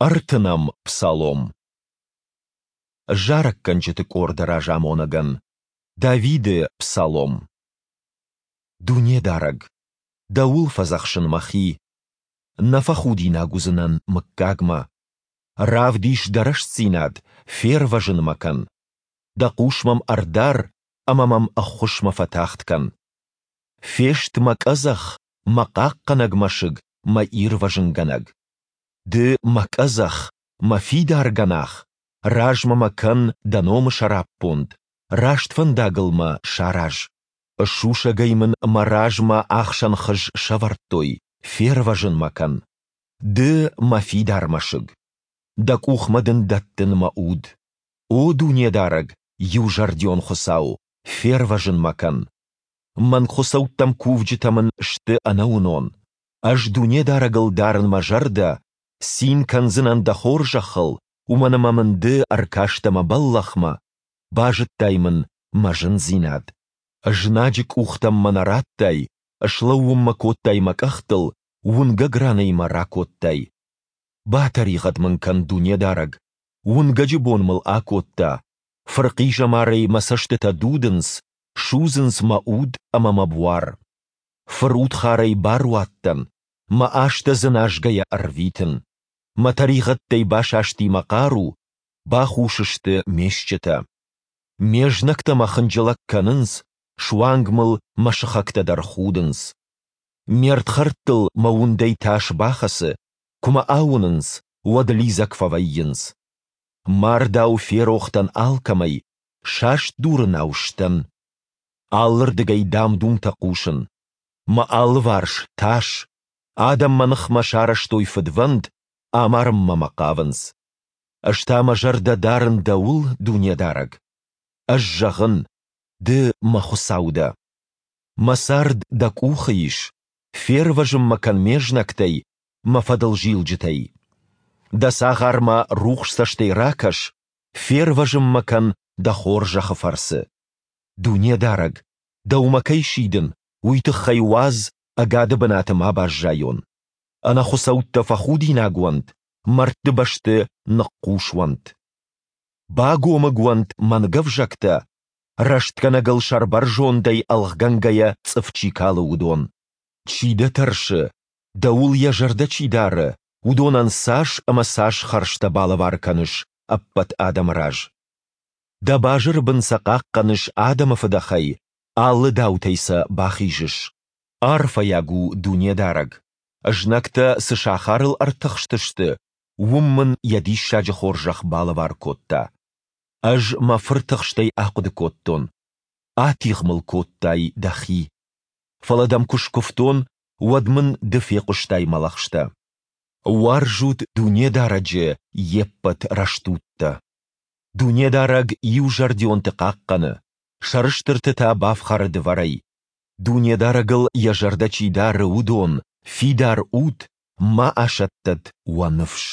Ӕртынӕм псалом. Зарӕггӕнджыты къорды разамонӕгӕн. Давиды псалом. Дунедарӕг, Дӕуыл фӕдзӕхсын мӕхи, нӕ фӕхудинаг уыдзынӕн мыггагмӕ. Равдис Дӕ рӕстдзинад, фервӕзын мӕ кӕн. Дӕ хъус мӕм ӕрдар ӕмӕ мӕм ӕххуысмӕ фӕтагъд кӕн. Фест мӕ къӕдзӕх, мӕ хъахъхъӕнӕг мӕсыг, мӕ ирвӕзынгӕнӕг. Ды мӕ къӕдзӕх, мӕ фидар гӕнах, размӕ мӕ кӕн дӕ номы сӕраппонд, раст фӕндагыл мӕ сараз. Сусӕгӕй мын мӕ размӕ ахсӕн хыз сӕвӕрдтой, фервӕзын мӕ кӕн. Ды мӕ фидар мӕсыг. Дӕ къухмӕ дын дӕттын мӕ уд. О Дунедарӕг, иузӕрдион Хуыцау, фервӕзын мӕ кӕн. Мӕнгхуыцӕуттӕм кувджытӕ мын сты ӕнӕуынон. Ӕз Дунедарӕгыл дарын мӕ зӕрдӕ, цин кӕндзынӕн дӕ хорзӕхыл, уымӕн ӕмӕ мын Ды ӕркастӕ мӕ бӕллӕхмӕ, базыдтай мын мӕ зындзинад. Знаджы къухтӕм мӕ нӕ радтай, слӕууын мӕ кодтай мӕ къӕхтыл, уынгӕг ранӕй мӕ ракодтай. Батӕригъӕд мын кӕн, Дунедарӕг, уынгӕджы бон мыл акодта, фырхъизӕмарӕй мӕ цӕстытӕ дудынц, судзынц мӕ уд ӕмӕ мӕ буар. Фырудхарӕй баруадтӕн, мӕ азтӕ дзыназгӕйӕ ӕрвитын. Мӕ тӕригъӕдтӕй басасти мӕ хъару, бахус сты ме стджытӕ. Ме знӕгтӕ мӕ хынджылӕг кӕнынц, суанг мыл мӕ сыхӕгтӕ дӕр худынц. Ме рдхӕрдтыл мӕ уындӕй тас бахӕцы, куы мӕ ауынынц, уӕд лидзӕг фӕвӕййынц. Мардау ферох дӕн алкӕмӕй, саст дурынау сдӕн. Алырдыгӕй дам-думтӕ хъусын. Мӕ алыварс тас. Адӕм мӕ ныхмӕ сарӕзтой фыдвӕнд, амарынмӕ мӕ хъавынц. Ӕз та мӕ зӕрдӕ дарын Дӕуыл, Дунедарӕг. Ӕз зӕгъын, Ды мӕ Хуыцау дӕ. Мӕ цард Дӕ къухы ис, фервӕзын мӕ кӕн ме знӕгтӕй, мӕ фӕдылзилджытӕй. Дӕ цагъармӕ рухс цӕстӕй ракӕс, фервӕзын мӕ кӕн Дӕ хорзӕхы фӕрцы. Дунедарӕг, Дӕумӕ кӕй сидын, уый тыххӕй уадз, ӕгады бынаты ма баззайон. Ӕнӕхуыцӕуттӕ фӕхудинаг уӕнт, мӕрдты бӕсты ныхъхъус уӕнт. Багомыг уӕнт мӕнгӕвзӕгтӕ, рӕстгӕнӕгыл сӕрбӕрзондӕй ӕлгъгӕнгӕйӕ цъыф чи калы, уыдон. Чи дӕ тӕрсы, дӕуыл йӕ зӕрдӕ чи дары, уыдонӕн цас ӕмӕ цас хӕрзтӕ балӕвар кӕныс ӕппӕт адӕмы раз. Дӕ базыры бын сӕ хъахъхъӕныс адӕмы фыдӕхӕй, алы даутӕй сӕ бахизыс. Арфӕйаг у Дунедарӕг, знӕгтӕ цы сахарыл ӕртыхстысты, уым мын йӕ диссаджы хорзӕх балӕвар кодта. Ӕз мӕ фыртыхстӕй ахъуыды кодтон, атигъ мыл кодтай дӕхи. Фӕлӕ дӕм куы скуывтон, уӕд мын ды фехъуыстай мӕ лӕгъстӕ. Уарзут Дунедарӕджы, йе ппӕт рӕстудтӕ. Дунедарӕг иузӕрдионты хъахъхъӕны, сӕрыстырты та бафхӕры дывӕрӕй. Дунедарӕгыл йӕ зӕрдӕ чи дары, уыдон, фидар ут, ма асӕттӕд уӕ ныфс.